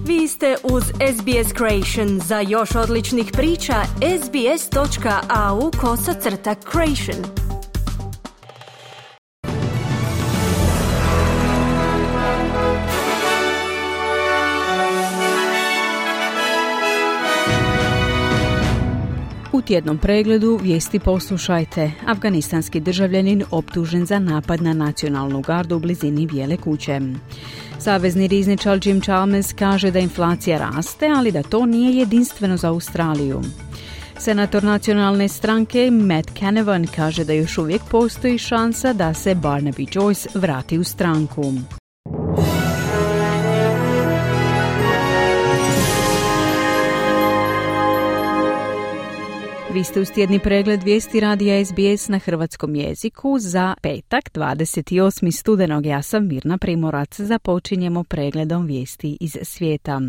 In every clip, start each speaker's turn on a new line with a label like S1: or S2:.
S1: Vi ste uz SBS Creation. Za još odličnih priča, sbs.au/creation.
S2: U tjednom pregledu vijesti poslušajte. Afganistanski državljanin optužen za napad na nacionalnu gardu u blizini Bijele kuće. Savezni rizničar Jim Chalmers kaže da inflacija raste, ali da to nije jedinstveno za Australiju. Senator nacionalne stranke Matt Canavan kaže da još uvijek postoji šansa da se Barnaby Joyce vrati u stranku. Vi ste uz tjedni pregled vijesti radija SBS na hrvatskom jeziku za petak 28. studenog. Ja sam Mirna Primorac. Započinjemo pregledom vijesti iz svijeta.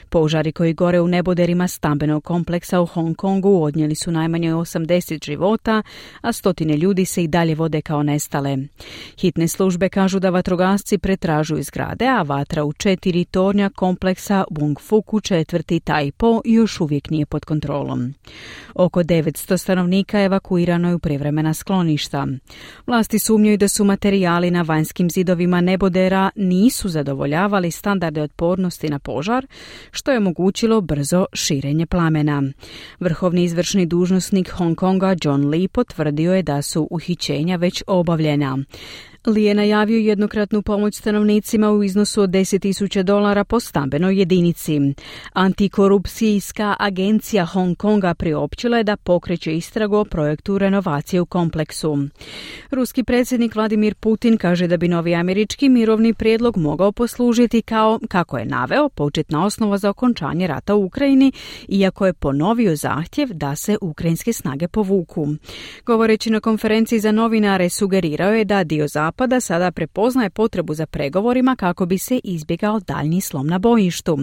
S2: Požari koji gore u neboderima stambenog kompleksa u Hong Kongu odnijeli su najmanje 80 života, a stotine ljudi se i dalje vode kao nestale. Hitne službe kažu da vatrogasci pretražuju zgrade, a vatra u 4 tornja kompleksa Wong Fuku četvrti Tai Po još uvijek nije pod kontrolom. Oko 900 stanovnika evakuirano je u privremena skloništa. Vlasti sumnjaju da su materijali na vanjskim zidovima nebodera nisu zadovoljavali standarde otpornosti na požar, što je omogućilo brzo širenje plamena. Vrhovni izvršni dužnosnik Hong Konga John Lee potvrdio je da su uhićenja već obavljena. Lee je najavio jednokratnu pomoć stanovnicima u iznosu od $10,000 po stambenoj jedinici. Antikorupcijska agencija Hong Konga priopćila je da pokreće istragu o projektu renovacije u kompleksu. Ruski predsjednik Vladimir Putin kaže da bi novi američki mirovni prijedlog mogao poslužiti kao, kako je naveo, početna osnova za okončanje rata u Ukrajini, iako je ponovio zahtjev da se ukrajinske snage povuku. Govoreći na konferenciji za novinare, sugerirao je da dio Zapada sada prepoznaje potrebu za pregovorima kako bi se izbjegao daljnji slom na bojištu.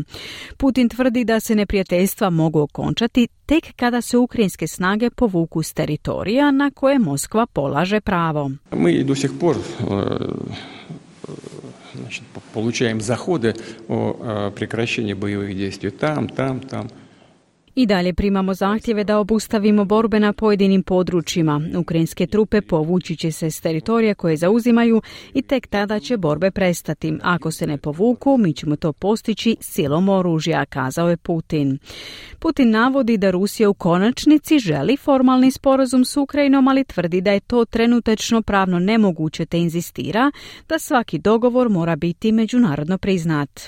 S2: Putin tvrdi da se neprijateljstva mogu okončati tek kada se ukrajinske snage povuku s teritorija na koje Moskva polaže pravo.
S3: Mi do sih por получаем заходы о прекращении боевых действий там.
S2: I dalje primamo zahtjeve da obustavimo borbe na pojedinim područjima. Ukrajinske trupe povući će se s teritorija koje zauzimaju i tek tada će borbe prestati. Ako se ne povuku, mi ćemo to postići silom oružja, kazao je Putin. Putin navodi da Rusija u konačnici želi formalni sporazum s Ukrajinom, ali tvrdi da je to trenutačno pravno nemoguće te inzistira da svaki dogovor mora biti međunarodno priznat.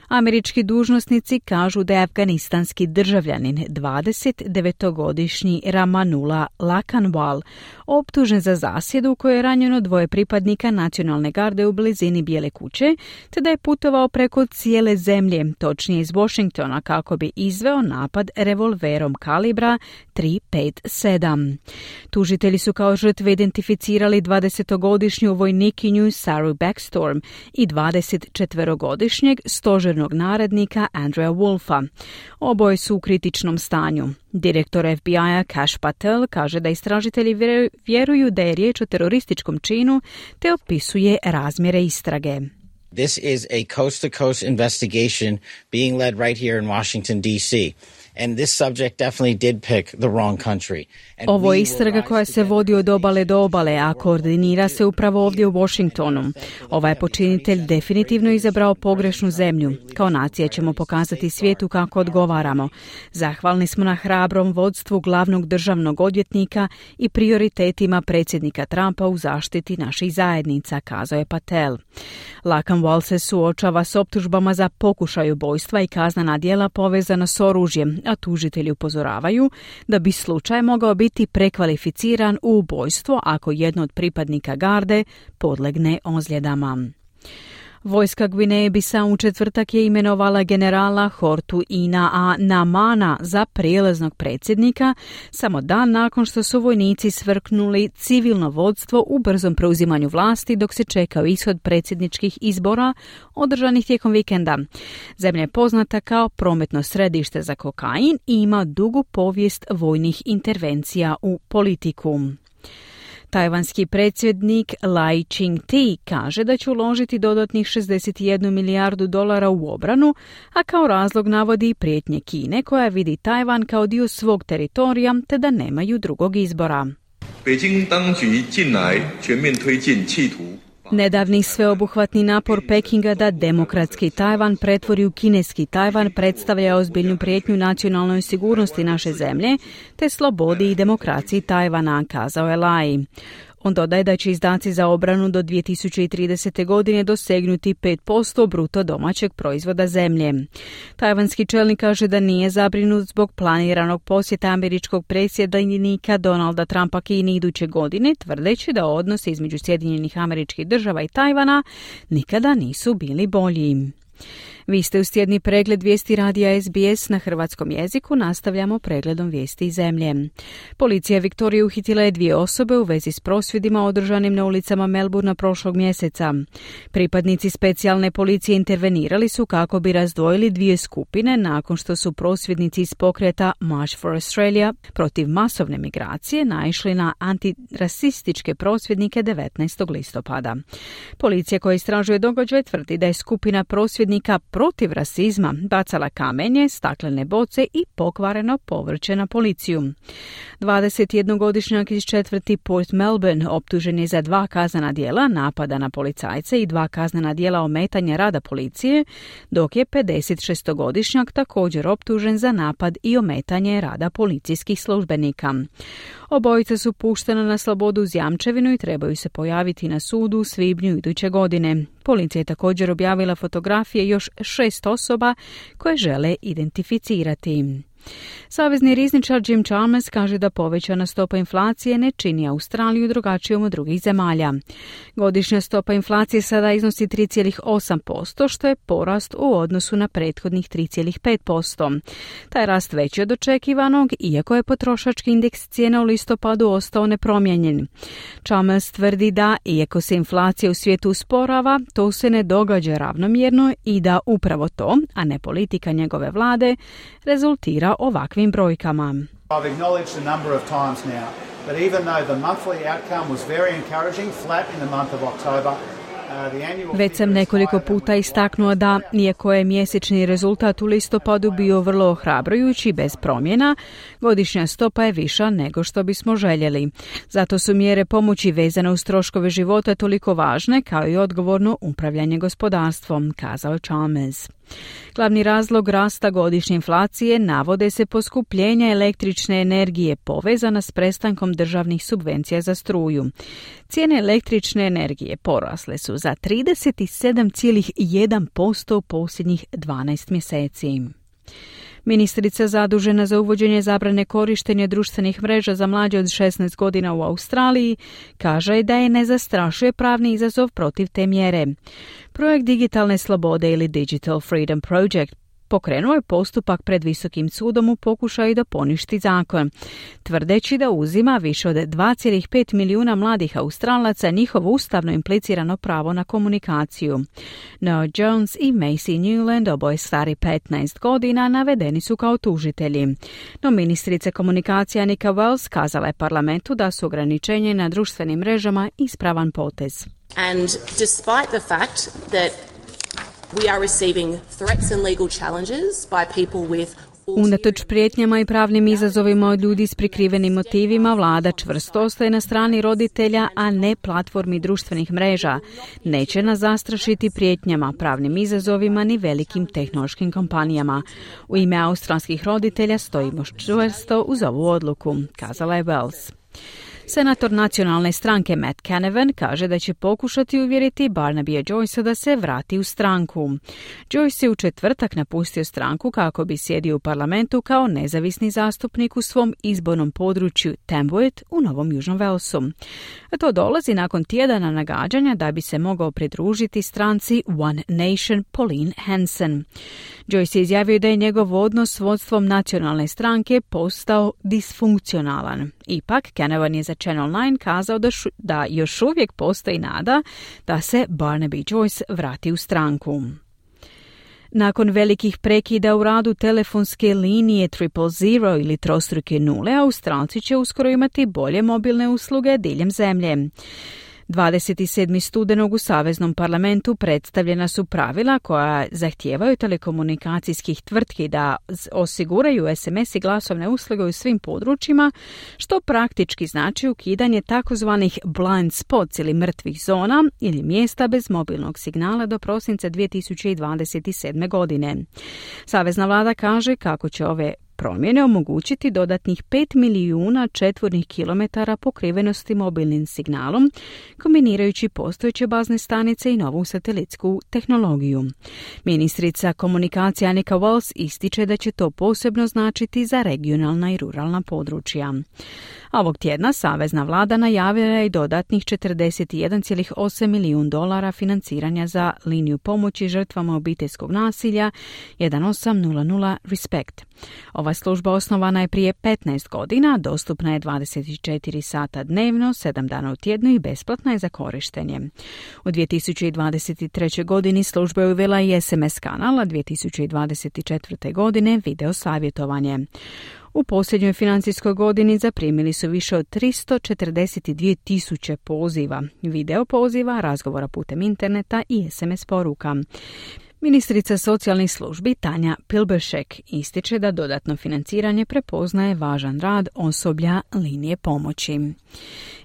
S2: Američki dužnosnici kažu da je afganistanski državljanin 29-godišnji Ramanullah Lakanwal optužen za zasjedu u kojoj je ranjeno 2 pripadnika nacionalne garde u blizini Bijele kuće, te da je putovao preko cijele zemlje, točnije iz Washingtona, kako bi izveo napad revolverom kalibra 357. Tužitelji su kao žrtve identificirali 20-godišnju vojnikinju Saru Backstorm i 24-godišnjeg stožernog narednika Andreja Wolfa. Oboje su u kritičnom stanju. Direktor FBI-a Kash Patel kaže da istražitelji vjeruju da je riječ o terorističkom činu te opisuje razmjere istrage.
S4: This is a coast-to-coast investigation being led right here in Washington, D.C. And this subject definitely did pick the wrong country.
S2: Ovo je istraga koja se vodi od obale do obale, a koordinira se upravo ovdje u Washingtonu. Ovaj počinitelj definitivno izabrao pogrešnu zemlju. Kao nacija ćemo pokazati svijetu kako odgovaramo. Zahvalni smo na hrabrom vodstvu glavnog državnog odvjetnika i prioritetima predsjednika Trumpa u zaštiti naših zajednica, kazao je Patel. Lakanwal se suočava s optužbama za pokušaj ubojstva i kaznena djela povezana s oružjem, a tužitelji upozoravaju da bi slučaj mogao biti prekvalificiran u ubojstvo ako jedno od pripadnika garde podlegne ozljedama. Vojska Gvineje Bisau u četvrtak je imenovala generala Hortu Ina Namana za prijelaznog predsjednika, samo dan nakon što su vojnici svrknuli civilno vodstvo u brzom preuzimanju vlasti dok se čekao ishod predsjedničkih izbora održanih tijekom vikenda. Zemlja je poznata kao prometno središte za kokain i ima dugu povijest vojnih intervencija u politiku. Tajvanski predsjednik Lai Ching-te kaže da će uložiti dodatnih 61 milijardu dolara u obranu, a kao razlog navodi prijetnje Kine koja vidi Tajvan kao dio svog teritorija te da nemaju drugog izbora. Nedavni sveobuhvatni napor Pekinga da demokratski Tajvan pretvori u kineski Tajvan predstavlja ozbiljnu prijetnju nacionalnoj sigurnosti naše zemlje te slobodi i demokraciji Tajvana, kazao je Lai. On dodaje da će izdaci za obranu do 2030. godine dosegnuti 5% bruto domaćeg proizvoda zemlje. Tajvanski čelnik kaže da nije zabrinut zbog planiranog posjeta američkog predsjednika Donalda Trumpa Kini iduće godine, tvrdeći da odnosi između Sjedinjenih Američkih Država i Tajvana nikada nisu bili bolji. Vi ste uz tjedni pregled vijesti radija SBS na hrvatskom jeziku. Nastavljamo pregledom vijesti iz zemlje. Policija Viktorije uhitila je 2 osobe u vezi s prosvjedima održanim na ulicama Melbourna prošlog mjeseca. Pripadnici specijalne policije intervenirali su kako bi razdvojili 2 skupine nakon što su prosvjednici iz pokreta March for Australia protiv masovne migracije naišli na antirasističke prosvjednike 19. listopada. Policija koja istražuje događaj tvrdi da je skupina prosvjednika protiv rasizma bacala kamenje, staklene boce i pokvareno povrće na policiju. 21-godišnjak iz četvrti Port Melbourne optužen je za 2 kaznena djela napada na policajce i 2 kaznena djela ometanja rada policije, dok je 56-godišnjak također optužen za napad i ometanje rada policijskih službenika. Obojica su puštena na slobodu uz jamčevinu i trebaju se pojaviti na sudu u svibnju iduće godine. Policija je također objavila fotografije još 6 osoba koje žele identificirati. Savezni rizničar Jim Chalmers kaže da povećana stopa inflacije ne čini Australiju drugačijom od drugih zemalja. Godišnja stopa inflacije sada iznosi 3,8%, što je porast u odnosu na prethodnih 3,5%. Taj rast veći od očekivanog, iako je potrošački indeks cijena u listopadu ostao nepromijenjen. Chalmers tvrdi da, iako se inflacija u svijetu usporava, to se ne događa ravnomjerno i da upravo to, a ne politika njegove vlade, rezultira ovakvim brojkama.
S5: I've acknowledged a number of times now that even though the monthly outcome was very encouraging, flat in the month of October,
S2: već sam nekoliko puta istaknuo da, iako je mjesečni rezultat u listopadu bio vrlo ohrabrujući bez promjena, godišnja stopa je viša nego što bismo željeli. Zato su mjere pomoći vezane uz troškove života toliko važne kao i odgovorno upravljanje gospodarstvom, kazao Chalmers. Glavni razlog rasta godišnje inflacije navode se poskupljenja električne energije povezana s prestankom državnih subvencija za struju. Cijene električne energije porasle su za 37,1% u posljednjih 12 mjeseci. Ministrica zadužena za uvođenje zabrane korištenja društvenih mreža za mlađe od 16 godina u Australiji kaže da je ne zastrašuje pravni izazov protiv te mjere. Projekt digitalne slobode ili Digital Freedom Project pokrenuo je postupak pred Visokim sudom u pokušaju da poništi zakon, tvrdeći da uzima više od 2,5 milijuna mladih Australaca njihovo ustavno implicirano pravo na komunikaciju. Noah Jones i Macy Newland, oboje stari 15 godina, navedeni su kao tužitelji. No ministrica komunikacija Nika Wells kazala je parlamentu da su ograničenje na društvenim mrežama ispravan potez.
S6: And despite the fact that we are receiving threats and legal challenges by people with
S2: Unatoč prijetnjama i pravnim izazovima od ljudi s prikrivenim motivima, vlada čvrsto ostaje na strani roditelja, a ne platformi društvenih mreža. Neće nas zastrašiti prijetnjama, pravnim izazovima ni velikim tehnološkim kompanijama. U ime australskih roditelja stojimo čvrsto uz ovu odluku, kazala je Wells. Senator nacionalne stranke Matt Canavan kaže da će pokušati uvjeriti Barnabya Joycea da se vrati u stranku. Joyce je u četvrtak napustio stranku kako bi sjedio u parlamentu kao nezavisni zastupnik u svom izbornom području Tamworth u Novom Južnom Walesu. A to dolazi nakon tjedana nagađanja da bi se mogao pridružiti stranci One Nation Pauline Hanson. Joyce je izjavio da je njegov odnos s vodstvom nacionalne stranke postao disfunkcionalan. Ipak, Canavan je za Channel 9 kazao da još uvijek postoji nada da se Barnaby Joyce vrati u stranku. Nakon velikih prekida u radu telefonske linije 000 ili trostruke nule, Australci će uskoro imati bolje mobilne usluge diljem zemlje. 27. studenog u Saveznom parlamentu predstavljena su pravila koja zahtijevaju telekomunikacijskih tvrtki da osiguraju SMS i glasovne usluge u svim područjima, što praktički znači ukidanje takozvanih blind spots ili mrtvih zona ili mjesta bez mobilnog signala do prosinca 2027. godine. Savezna vlada kaže kako će ove promjene omogućiti dodatnih 5 milijuna četvornih kilometara pokrivenosti mobilnim signalom, kombinirajući postojeće bazne stanice i novu satelitsku tehnologiju. Ministrica komunikacija Annika Wells ističe da će to posebno značiti za regionalna i ruralna područja. Ovog tjedna Savezna vlada najavila je i dodatnih $41,8 milijuna financiranja za liniju pomoći žrtvama obiteljskog nasilja 1800 RESPECT. Ova služba osnovana je prije 15 godina, dostupna je 24 sata dnevno, 7 dana u tjednu i besplatna je za korištenje. U 2023. godini služba je uvela i SMS kanal, a 2024. godine video savjetovanje. U posljednjoj financijskoj godini zaprimili su više od 342.000 poziva, video poziva, razgovora putem interneta i SMS poruka. Ministrica socijalnih službi Tanja Pilberšek ističe da dodatno financiranje prepoznaje važan rad osoblja linije pomoći.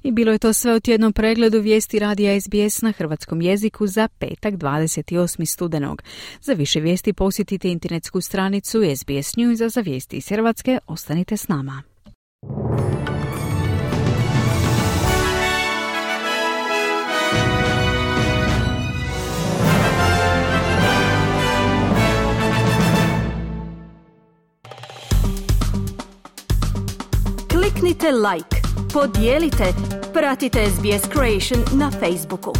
S2: I bilo je to sve u tjednom pregledu vijesti radija SBS na hrvatskom jeziku za petak 28. studenog. Za više vijesti posjetite internetsku stranicu SBS News, a za vijesti iz Hrvatske ostanite s nama.
S1: Kliknite like, podijelite, pratite SBS Creation na Facebooku.